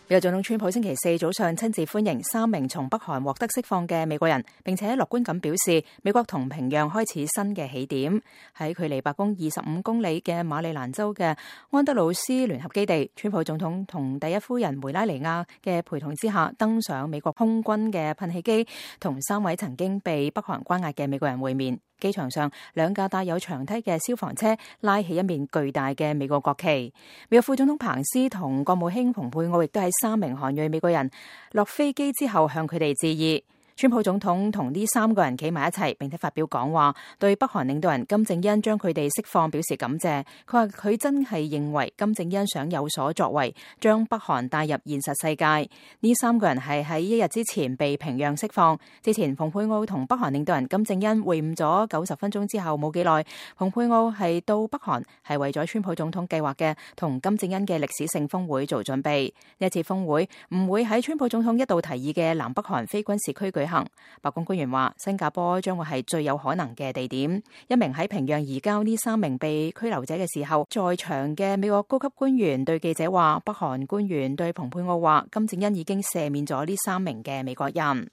美國總統川普星期四早上親自歡迎3名從北韓獲得釋放嘅美國人，並且樂觀咁表示，美國同平壤開始新嘅起點。喺距離白宮25公里嘅馬里蘭州嘅安德魯斯聯合基地，川普總統同第一夫人梅拉尼亞嘅陪同之下，登上美國空軍嘅噴氣機，同3位曾經被北韓關押嘅美國人會面。機場上，2架帶有長梯嘅消防車拉起一面巨大嘅美國國旗。美國副總統彭斯同國務卿蓬佩奧亦都喺3名韓裔美國人落飛機之後向佢哋致意。川普總統同呢3個人企埋一齊，並且發表講話，對北韓領導人金正恩將佢哋釋放表示感謝。佢話佢真係認為金正恩想有所作為，將北韓帶入現實世界。呢3個人係喺1日之前被平壤釋放。之前蓬佩奧同北韓領導人金正恩會晤咗90分鐘之後冇幾耐，蓬佩奧係到北韓係為咗川普總統計劃嘅同金正恩嘅歷史性峰會做準備。呢一次峰會唔會喺川普總統一度提議嘅南北韓非軍事區舉行。白宮官員話，新加坡將會係最有可能嘅地點。一名喺平壤移交呢3名被拘留者嘅時候在場嘅美國高級官員對記者話，北韓官員對蓬佩奧話，金正恩已經赦免咗呢3名嘅美國人。